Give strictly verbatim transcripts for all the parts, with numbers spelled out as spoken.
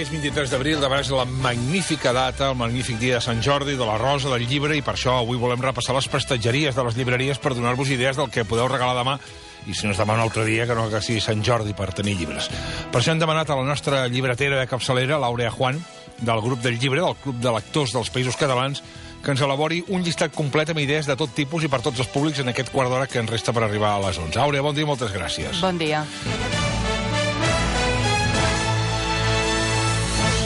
és vint-i-tres d'abril, de vegades la magnífica data, el magnífic dia de Sant Jordi, de la Rosa, del llibre, i per això avui volem repassar les prestatgeries de les llibreries per donar-vos idees del que podeu regalar demà, i si no es demà un altre dia, que no que sigui Sant Jordi per tenir llibres. Per això hem demanat a la nostra llibretera de capçalera, l'Àurea Juan, del grup del llibre, del Club de Lectors dels Països Catalans, que ens elabori un llistat complet amb idees de tot tipus i per tots els públics en aquest quart d'hora que ens resta per arribar a les onze. Àurea, bon dia i moltes gràcies. Bon dia.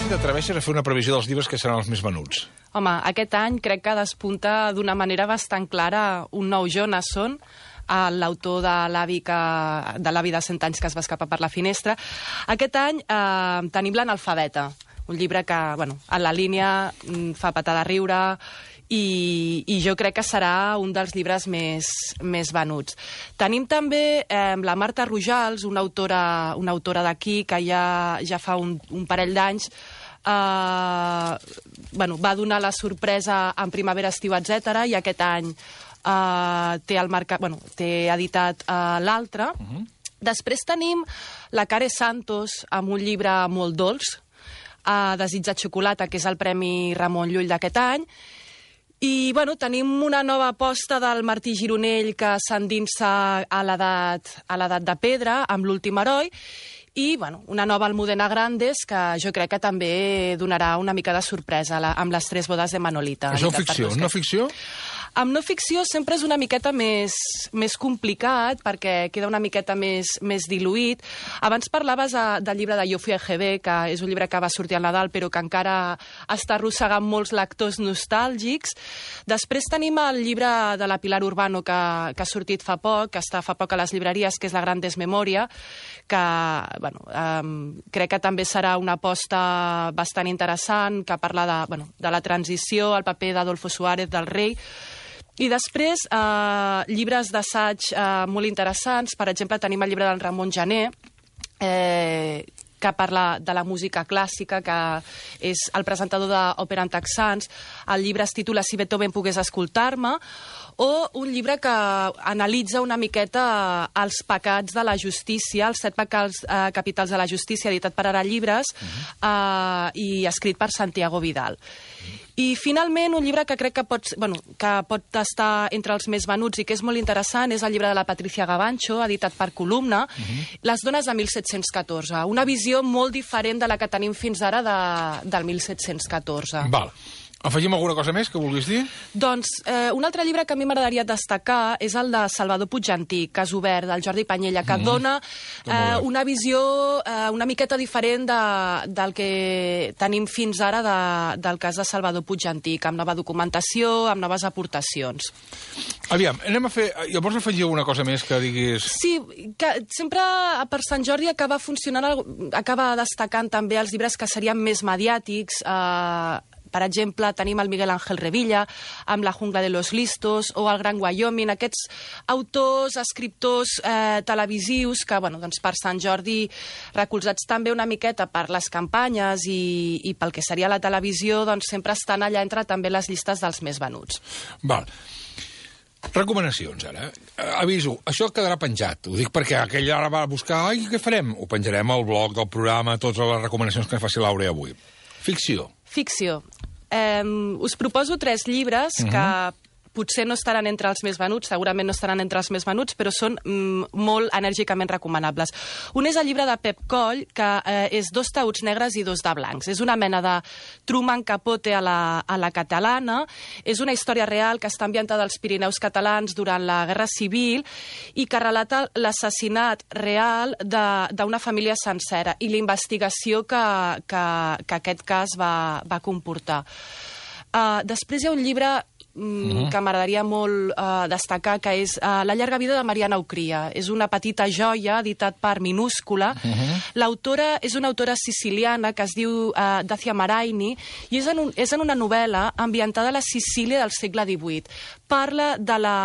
T'atreveixes a fer una previsió dels llibres que seran els més venuts? Home, aquest any crec que despunta d'una manera bastant clara un nou Jonasson, l'autor de l'avi que, de l'avi de cent anys que es va escapar per la finestra. Aquest any eh, tenim l'Analfabeta, un llibre que, bueno, a la línia fa patar de riure i, i jo crec que serà un dels llibres més, més venuts. Tenim també eh, la Marta Rojals, una autora, una autora d'aquí que ja, ja fa un, un parell d'anys Uh, bueno, va donar la sorpresa en primavera, estiu, etcètera, i aquest any uh, té, el marca... bueno, té editat uh, l'altre. Uh-huh. Després tenim la Care Santos amb un llibre molt dolç, uh, Desig de xocolata, que és el Premi Ramon Llull d'aquest any. I bueno, tenim una nova aposta del Martí Gironell que s'endinsa a l'edat a l'edat de pedra, amb l'Últim heroi, i bueno, una nova Almudena Grandes que jo crec que també donarà una mica de sorpresa la, amb les tres bodes de Manolita. Això ficció, no ficció? Amb no ficció sempre és una miqueta més, més complicat perquè queda una miqueta més, més diluït. Abans parlaves a, del llibre de Jo fui a G B, que és un llibre que va sortir al Nadal però que encara està arrossegant molts lectors nostàlgics. Després tenim el llibre de la Pilar Urbano que, que ha sortit fa poc, que està fa poc a les llibreries, que és La gran desmemòria, que bueno, um, crec que també serà una aposta bastant interessant, que parla de, bueno, de la transició, el paper d'Adolfo Suárez, del rei. I després, eh, llibres d'assaig eh, molt interessants. Per exemple, tenim el llibre del Ramon Gené, eh, que parla de la música clàssica, que és el presentador d'Òpera en Texans. El llibre es titula Si Beethoven pogués escoltar-me, o un llibre que analitza una miqueta els pecats de la justícia, els set pecats eh, capitals de la justícia, editat per Ara Llibres, uh-huh. eh, i escrit per Santiago Vidal. I, finalment, un llibre que crec que pot, bueno, que pot estar entre els més venuts i que és molt interessant és el llibre de la Patricia Gavancho, editat per Columna, uh-huh. Les dones de mil set-cents catorze. Una visió molt diferent de la que tenim fins ara de, del mil set-cents catorze. Val. Afegim alguna cosa més que vulguis dir? Doncs eh, un altre llibre que a mi m'agradaria destacar és el de Salvador Puigantí, Cas obert, del Jordi Panyella, que mm-hmm. dona eh, una visió eh, una miqueta diferent de, del que tenim fins ara de, del cas de Salvador Puigantí, amb nova documentació, amb noves aportacions. Aviam, anem a fer... Llavors afegir alguna cosa més que diguis... Sí, que sempre per Sant Jordi acaba funcionant, acaba destacant també els llibres que serien més mediàtics. Eh, Per exemple, tenim el Miguel Ángel Revilla amb La jungla de los listos, o el Gran Wyoming, aquests autors, escriptors eh, televisius que, bueno, doncs per Sant Jordi, recolzats també una miqueta per les campanyes i, i pel que seria la televisió, doncs sempre estan allà entre també les llistes dels més venuts. Val. Recomanacions, ara. Aviso, això quedarà penjat. Ho dic perquè aquell ara va buscar... Ai, què farem? Ho penjarem al blog del programa, totes les recomanacions que faci l'Àurea avui. Ficció. Ficció. Eh, us proposo tres llibres uh-huh. que potser no estaran entre els més venuts, segurament no estaran entre els més venuts, però són mm, molt enèrgicament recomanables. Un és el llibre de Pep Coll, que eh, és Dos taüts negres i dos de blancs. És una mena de Truman Capote a la, a la catalana. És una història real que està ambientada als Pirineus catalans durant la Guerra Civil i que relata l'assassinat real d'una família sencera i la investigació que, que, que aquest cas va, va comportar. Uh, després hi ha un llibre Mm-hmm. que m'agradaria molt uh, destacar, que és uh, La llarga vida de Mariana Ucria. És una petita joia, editat per Minúscula. Mm-hmm. L'autora és una autora siciliana que es diu uh, Dacia Maraini, i és en, un, és en una novel·la ambientada a la Sicília del segle divuit. Parla de la,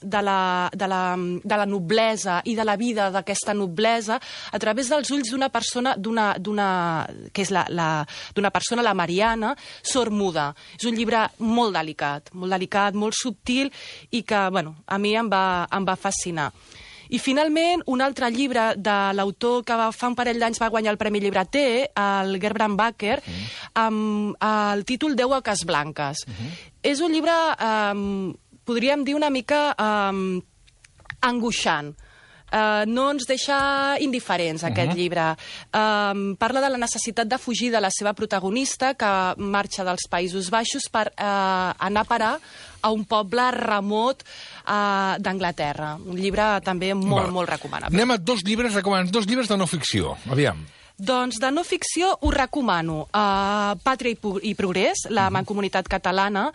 de la, de la, de la noblesa i de la vida d'aquesta noblesa a través dels ulls d'una persona, d'una, d'una, que és la, la, d'una persona, la Mariana, sormuda. És un llibre molt delicat, molt delicat, molt subtil i que, bueno, a mi em va, em va fascinar. I, finalment, un altre llibre de l'autor que va, fa un parell d'anys va guanyar el Premi Llibreter, el Gerbrand Bakker, mm. amb el títol Deu oques blanques. Mm -hmm. És un llibre, eh, podríem dir, una mica eh, angoixant. Uh, no ens deixa indiferents, aquest uh -huh. llibre. Uh, parla de la necessitat de fugir de la seva protagonista, que marxa dels Països Baixos per uh, anar a parar a un poble remot uh, d'Anglaterra. Un llibre també molt, Va. molt recomanable. Anem a dos llibres, recomanant dos llibres de no ficció. Aviam. Doncs de no ficció us recomano uh, Pàtria i Progrés, la uh -huh. Mancomunitat Catalana,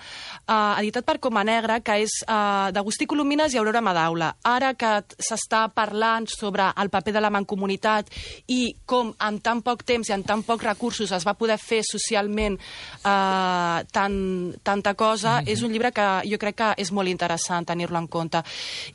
uh, editat per Coma Negra, que és uh, d'Agustí Colomines i Aurora Madaula. Ara que s'està parlant sobre el paper de la Mancomunitat i com en tan poc temps i en tan pocs recursos es va poder fer socialment uh, tan, tanta cosa, uh -huh. és un llibre que jo crec que és molt interessant tenir-lo en compte.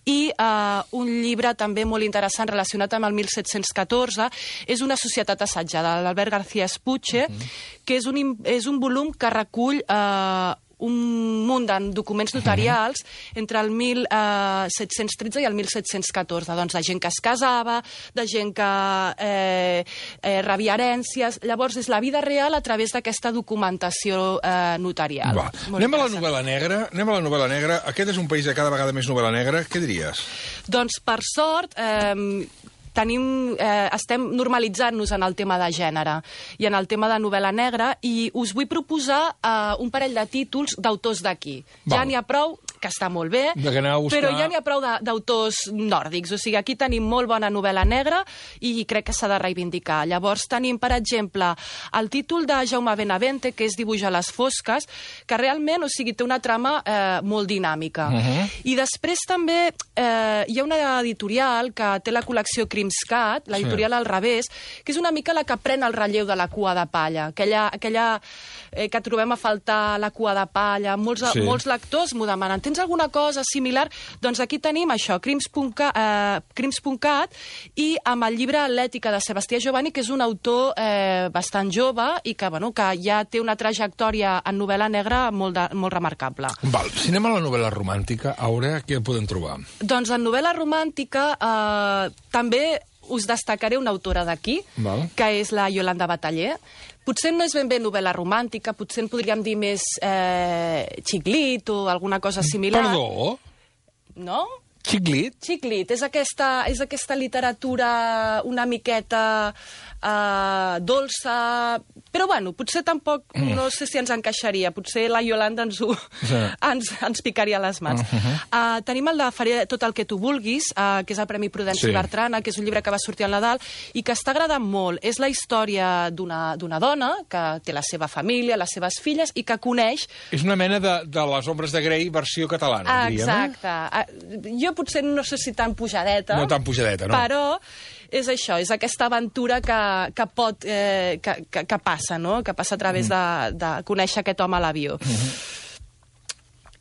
I uh, un llibre també molt interessant relacionat amb el mil set-cents catorze és Una societat assajada, l'Albert García Espuche, uh -huh. que és un, és un volum que recull eh, un munt de documents notarials uh -huh. entre el mil set-cents tretze i el mil set-cents catorze. Doncs de gent que es casava, de gent que eh, eh, rebia herències. Llavors, és la vida real a través d'aquesta documentació eh, notarial. Va. Anem a la novel·la negra. Anem a la novel·la negra. Aquest és un país de cada vegada més novel·la negra. Què diries? Doncs, per sort... Eh, Tenim, eh, estem normalitzant-nos en el tema de gènere i en el tema de novel·la negra, i us vull proposar eh, un parell de títols d'autors d'aquí. Ja n'hi ha prou, que està molt bé, buscar... però ja n'hi ha prou d'autors nòrdics. O sigui, aquí tenim molt bona novel·la negra i crec que s'ha de reivindicar. Llavors tenim, per exemple, el títol de Jaume Benavente, que és Dibuix a les fosques, que realment, o sigui, té una trama eh, molt dinàmica. Uh -huh. I després també eh, hi ha una editorial que té la col·lecció Crimscat, l'editorial sí. Al revés, que és una mica la que pren el relleu de la Cua de Palla, aquella, aquella eh, que trobem a faltar la Cua de Palla. Molts, sí. molts lectors m'ho demanen. Tens alguna cosa similar? Doncs aquí tenim això, Crims punt cat, i amb el llibre L'ètica de Sebastià Giovanni, que és un autor eh, bastant jove i que, bueno, que ja té una trajectòria en novel·la negra molt, de, molt remarcable. Val. Si anem a la novel·la romàntica, Aurea, què podem trobar? Doncs en novel·la romàntica eh, també us destacaré una autora d'aquí, que és la Iolanda Bataller. Potser no és ben bé novel·la romàntica, potser en podríem dir més eh, xiclit o alguna cosa similar. Perdó? No? Xiclit? Xiclit. És aquesta, és aquesta literatura una miqueta eh, dolça... Però, bueno, potser tampoc, mm. no sé si ens encaixaria. Potser la Iolanda ens, ho, sí. ens, ens picaria les mans. Uh -huh. uh, tenim el de Faré tot el que tu vulguis, uh, que és el Premi Prudenci sí. Bertrana, que és un llibre que va sortir al Nadal i que està agradant molt. És la història d'una dona que té la seva família, les seves filles, i que coneix... És una mena de, de les Ombres de Grey versió catalana, diríem. Exacte. Uh, jo potser no sé si tan pujadeta. No tan pujadeta, no. Però... és això, és aquesta aventura que, que pot, eh, que, que, que passa, no? Que passa a través de, de conèixer aquest home a l'avió. Mm-hmm.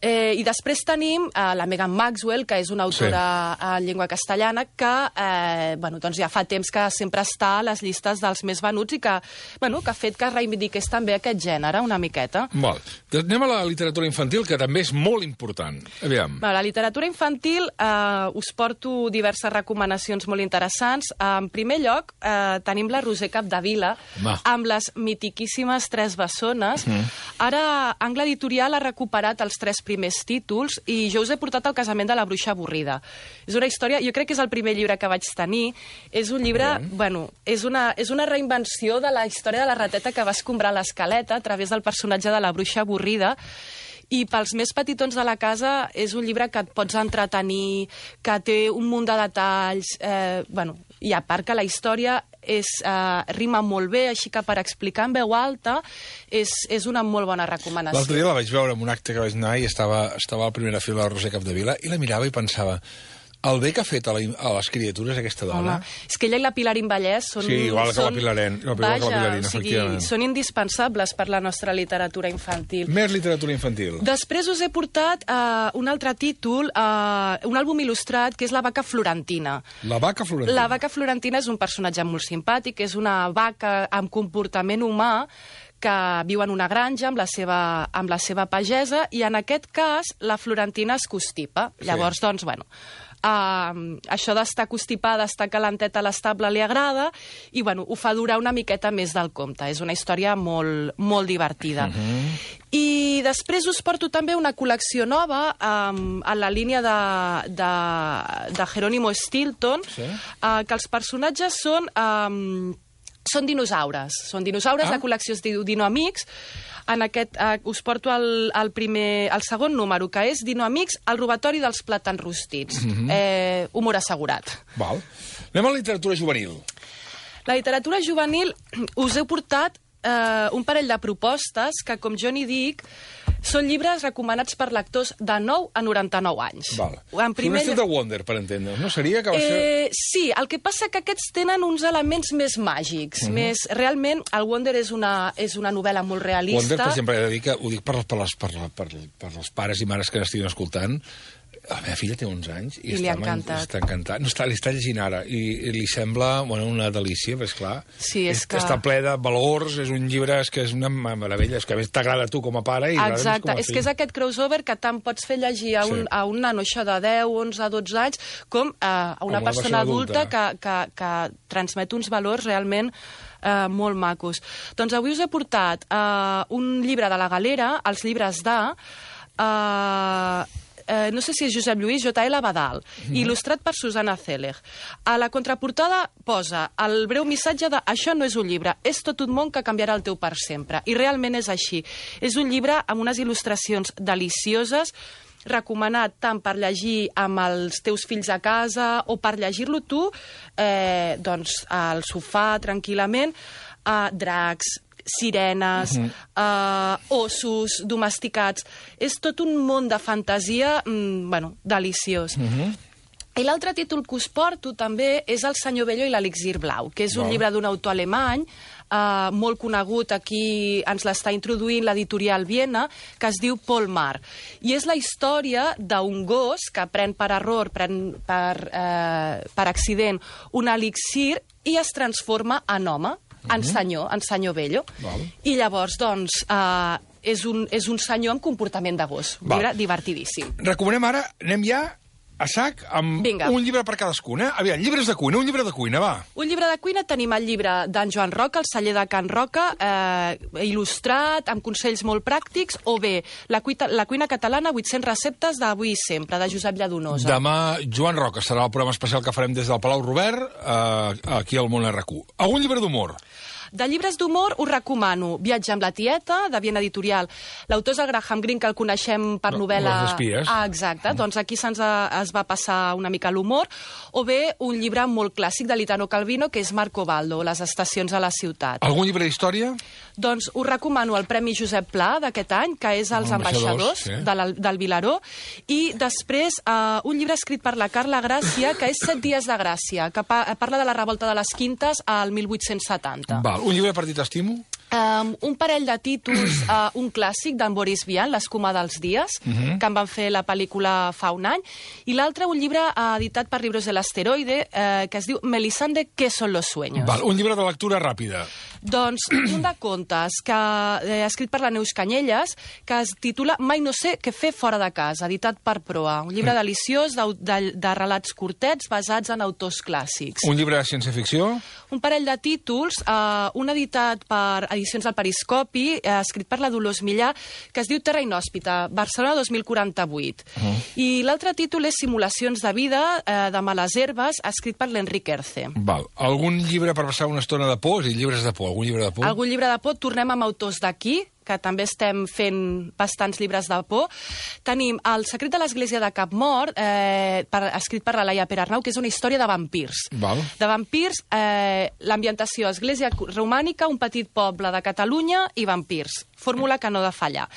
Eh, I després tenim eh, la Megan Maxwell, que és una autora sí. en llengua castellana, que eh, bueno, doncs ja fa temps que sempre està a les llistes dels més venuts i que, bueno, que ha fet que reivindiqués també aquest gènere una miqueta. Val. Anem a la literatura infantil, que també és molt important. Aviam. A la literatura infantil eh, us porto diverses recomanacions molt interessants. En primer lloc, eh, tenim la Roser Capdevila, Va. amb les mitiquíssimes Tres bessones. Mm. Ara, Angle Editorial ha recuperat els tres primers primers títols, i jo us he portat El casament de la bruixa avorrida. És una història, jo crec que és el primer llibre que vaig tenir, és un llibre, mm. bueno, és una, és una reinvenció de la història de la rateta que va escombrar l'escaleta a través del personatge de la bruixa avorrida, i pels més petitons de la casa és un llibre que et pots entretenir, que té un munt de detalls, eh, bueno, i a part que la història és, eh, rima molt bé, així que per explicar en veu alta és, és una molt bona recomanació. L'altre dia la vaig veure en un acte que vaig anar i estava, estava a la primera fila de la Roser Capdevila i la mirava i pensava... El bé que ha fet a, la, a les criatures aquesta dona... Home, és que ella i la Pilarín Vallès són... Sí, igual que són, la Pilarín, igual vaja, que la Pilarín, o sigui, efectivament. Són indispensables per la nostra literatura infantil. Més literatura infantil. Després us he portat uh, un altre títol, uh, un àlbum il·lustrat, que és La vaca florentina. La vaca florentina. La vaca florentina és un personatge molt simpàtic, és una vaca amb comportament humà que viu en una granja amb la seva, amb la seva pagesa, i en aquest cas la florentina es constipa. Sí. Llavors, doncs, bueno... Uh, això d'estar constipada, estar calenteta a l'estable li agrada, i bueno, ho fa durar una miqueta més del compte. És una història molt, molt divertida. Uh-huh. I després us porto també una col·lecció nova um, a la línia de, de, de Jerónimo Stilton, sí? uh, que els personatges són... Um, Són dinosaures. Són dinosaures, ah. La col·lecció es diu Dinoamics. En aquest, eh, us porto el, el, primer, el segon número, que és Dinoamics, el robatori dels plàtans rostits. Mm-hmm. eh, humor assegurat. Val. Anem a la literatura juvenil. La literatura juvenil us he portat eh, un parell de propostes que, com jo n'hi dic, són llibres recomanats per lectors de nou a noranta-nou anys. Val. En primer... Un estil de Wonder, per entendre'ns, no? Seria que va ser... Eh, sí, el que passa que aquests tenen uns elements més màgics. Mm-hmm. més, realment, el Wonder és una, és una novel·la molt realista. Wonder, per exemple, he de dir que ho dic per, per, les, per, per, per els pares i mares que n'estiguin escoltant. La meva filla té onze anys i, I està, encantat. està encantat. No, està, li està llegint ara i, i li sembla bueno, una delícia, però és clar. Sí, és és, que... Està ple de valors, és un llibre és que és una meravella, és que a més t'agrada a tu com a pare i exacte, com a és que és aquest crossover que tant pots fer llegir a un, sí. a un nano això de deu, onze, dotze anys com a, a una, una persona adulta, adulta que, que, que transmet uns valors realment eh, molt macos. Doncs avui us he portat eh, un llibre de la Galera, els llibres de... Eh, Eh, no sé si és Josep Lluís, J L Badal, mm. il·lustrat per Susana Zeller. A la contraportada posa el breu missatge de això no és un llibre, és tot un món que canviarà el teu per sempre. I realment és així. És un llibre amb unes il·lustracions delicioses, recomanat tant per llegir amb els teus fills a casa o per llegir-lo tu eh, doncs, al sofà, tranquil·lament, a dracs, sirenes, uh-huh. uh, ossos domesticats. És tot un món de fantasia mm, bueno, deliciós. Uh-huh. I l'altre títol que us porto també és El senyor Bello i l'elixir blau, que és un wow. llibre d'un autor alemany uh, molt conegut, aquí ens l'està introduint l'editorial Viena, que es diu Paul Maar. I és la història d'un gos que pren per error, pren per, uh, per accident, un elixir i es transforma en home, en senyor, en senyor Bello. Val. I llavors, doncs, eh, és, un, és un senyor amb comportament de gos. Un llibre divertidíssim. Recomanem ara, anem ja a sac amb Vinga. un llibre per cadascun, eh? Aviam, llibres de cuina, un llibre de cuina, va. Un llibre de cuina, tenim el llibre d'en Joan Roca, El celler de Can Roca, eh, il·lustrat, amb consells molt pràctics, o bé La cuina, la cuina catalana, vuit-centes receptes d'avui i sempre, de Josep Lladonosa. Demà, Joan Roca serà el programa especial que farem des del Palau Robert, eh, aquí al Món R Q. Algun llibre d'humor? De llibres d'humor us recomano Viatge amb la tieta, de Viena Editorial. L'autor és el Graham Greene, que el coneixem per no, novel·la... Les espies. Ah, exacte. Mm. Doncs aquí se'ns es va passar una mica l'humor. O bé un llibre molt clàssic de l'Italo Calvino, que és Marco Baldo, Les estacions a la ciutat. Algun llibre d'història? Doncs us recomano el Premi Josep Pla d'aquest any, que és Els ambaixadors, sí. de la, del Vilaró. I després uh, un llibre escrit per la Carla Gràcia, que és Set dies de Gràcia, que pa parla de la revolta de les Quintes al mil vuit-cents setanta. Val. Un llibre per dir t'estimo? Um, un parell de títols, uh, un clàssic d'en Boris Vian, L'escuma dels dies, uh -huh. que en van fer la pel·lícula fa un any, i l'altre un llibre uh, editat per Libros del Asteroide, uh, que es diu Melisande, ¿qué son los sueños? Val, un llibre de lectura ràpida. Doncs un de contes, que eh, escrit per la Neus Canyelles, que es titula Mai no sé què fer fora de casa, editat per Proa. Un llibre deliciós de, de, de relats curtets basats en autors clàssics. Un llibre de ciència-ficció? Un parell de títols, uh, un editat per Edicions del Periscopi, eh, escrit per la Dolors Millà, que es diu Terra Inhòspita, Barcelona dos mil quaranta-vuit. Uh -huh. I l'altre títol és Simulacions de vida, eh, de males herbes, escrit per l'Enric Erce. Val. Algun llibre per passar una estona de por? És a dir, llibres de por. Algun llibre de por? Algun llibre de por. Tornem amb autors d'aquí, que també estem fent bastants llibres de por. Tenim El secret de l'església de Capmort, eh, per, escrit per la Laia Perarnau, que és una història de vampirs. Val. De vampirs, eh, l'ambientació, església romànica, un petit poble de Catalunya i vampirs. Fórmula que no ha de fallar.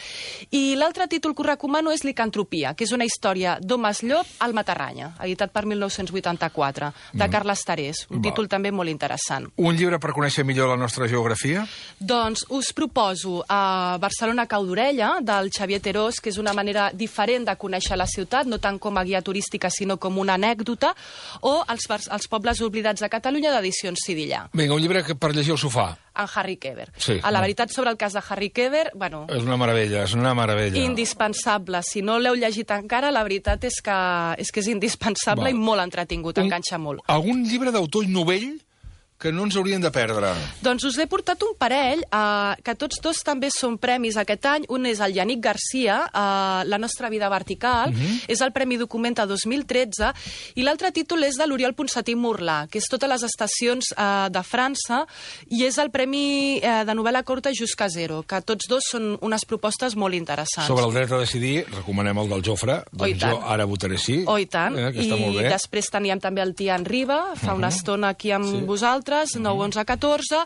I l'altre títol que us recomano és Licantropia, que és una història d'homes llop al Matarranya, editat per mil nou-cents vuitanta-quatre, de mm. Carles Tarés. Un Val. títol també molt interessant. Un llibre per conèixer millor la nostra geografia? Doncs us proposo a Barcelona cau d'orella, del Xavier Terós, que és una manera diferent de conèixer la ciutat, no tant com a guia turística, sinó com una anècdota, o els, els pobles oblidats de Catalunya, d'Edicions Sidillà. Vinga, un llibre per llegir al sofà. en Harry Kéber. Sí, a la no. veritat sobre el cas de Harry Kéber, bueno... És una meravella, és una meravella. Indispensable. Si no l'heu llegit encara, la veritat és que és, que és indispensable. Val. I molt entretingut, Un, enganxa molt. Algun llibre d'autor novell que no ens haurien de perdre? Doncs us he portat un parell, eh, que tots dos també són premis aquest any. Un és el Yannick Garcia, eh, La nostra vida vertical, uh-huh. és el Premi Documenta dos mil tretze, i l'altre títol és de l'Oriol Ponsatí Morlà, que és Totes les estacions eh, de França, i és el Premi eh, de novel·la curta Just Casero, que tots dos són unes propostes molt interessants. Sobre el dret a decidir, recomanem el del Jofre, doncs jo ara votaré sí. Oh, i tant. Eh, que està I molt bé. després teníem també el Tian Riba, fa uh-huh. una estona aquí amb sí. vosaltres, nou onze catorze,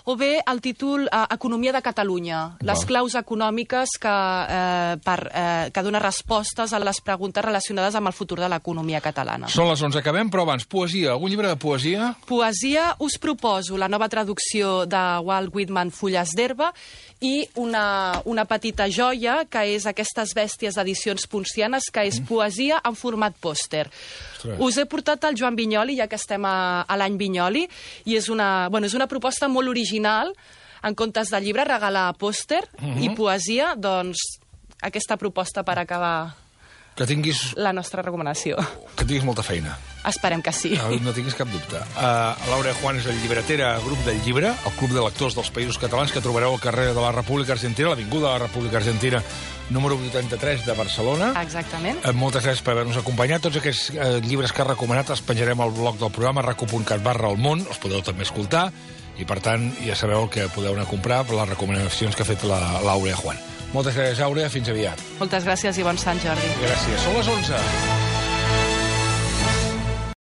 o bé el títol eh, Economia de Catalunya, les Val. claus econòmiques que, eh, per, eh, que dona respostes a les preguntes relacionades amb el futur de l'economia catalana. Són les onze, acabem, però abans, poesia. Algun llibre de poesia? Poesia, us proposo la nova traducció de Walt Whitman, Fulles d'herba, i una, una petita joia, que és aquestes bèsties d'edicions poncianes, que és poesia en format pòster. Ostres. Us he portat el Joan Vinyoli, ja que estem a, a l'any Vinyoli, i és una, bueno, és una proposta molt original. En comptes de llibre, regalar pòster uh-huh. i poesia, doncs aquesta proposta per acabar que tinguis... la nostra recomanació. Que tinguis molta feina. Esperem que sí. No, no tinguis cap dubte. Uh, Laura Juan és el llibretera Grup del Llibre, el club de lectors dels Països Catalans, que trobareu al carrer de la República Argentina, l'Avinguda de la República Argentina, número vuitanta-tres de Barcelona. Exactament. Uh, moltes gràcies per haver-nos acompanyat. Tots aquests uh, llibres que has recomanat els penjarem al blog del programa, raco punt cat barra el món, els podeu també escoltar, i per tant ja sabeu el que podeu anar a comprar per les recomanacions que ha fet la Laura Juan. Moltes gràcies, Àurea. Fins aviat. Moltes gràcies i bon Sant Jordi. Gràcies. Són les onze.